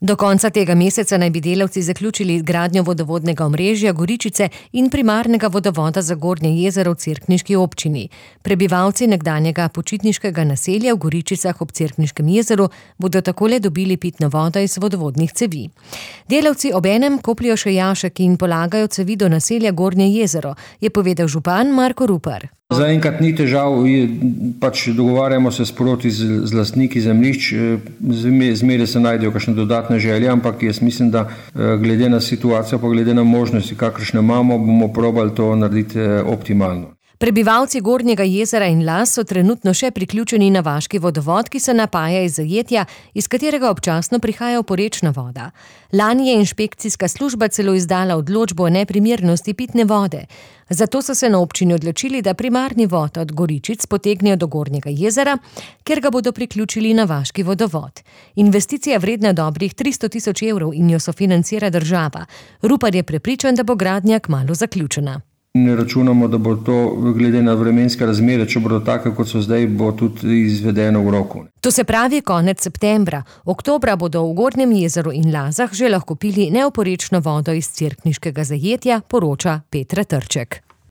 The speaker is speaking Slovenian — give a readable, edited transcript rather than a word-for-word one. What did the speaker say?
Do konca tega meseca naj bi delavci zaključili gradnjo vodovodnega omrežja Goričice in primarnega vodovoda za Gornje jezero v cerkniški občini. Prebivalci nekdanjega počitniškega naselja v Goričicah ob Cerkniškem jezeru bodo takole dobili pitno vodo iz vodovodnih cevi. Delavci obenem kopljejo še jašek in polagajo cevi do naselja Gornje jezero, je povedal župan Marko Rupar. Zaenkrat ni težav, dogovarjamo se sproti z lastniki zemljišč, zmeraj se najdejo kakšne dodatne želje, ampak jaz mislim, da glede na situacijo, pa glede na možnosti, kakršne imamo, bomo probali to narediti optimalno. Prebivalci Gornjega jezera in Las so trenutno še priključeni na vaški vodovod, ki se napaja iz zajetja, iz katerega občasno prihaja oporečna voda. Lani je inšpekcijska služba celo izdala odločbo o neprimernosti pitne vode. Zato so se na občini odločili, da primarni vod od Goričic potegnejo do Gornjega jezera, ker ga bodo priključili na vaški vodovod. Investicija vredna dobrih 300 000 evrov in jo sofinancira država. Rupar je prepričan, da bo gradnja kmalu zaključena. Ne računamo, da bo to glede na vremenske razmere, če bodo take, kot so zdaj, bo tudi izvedeno v roku. To se pravi konec septembra. Oktobra bodo v Gornjem jezeru in Lazah že lahko pili neoporečno vodo iz cerkniškega zajetja, poroča Petra Trček.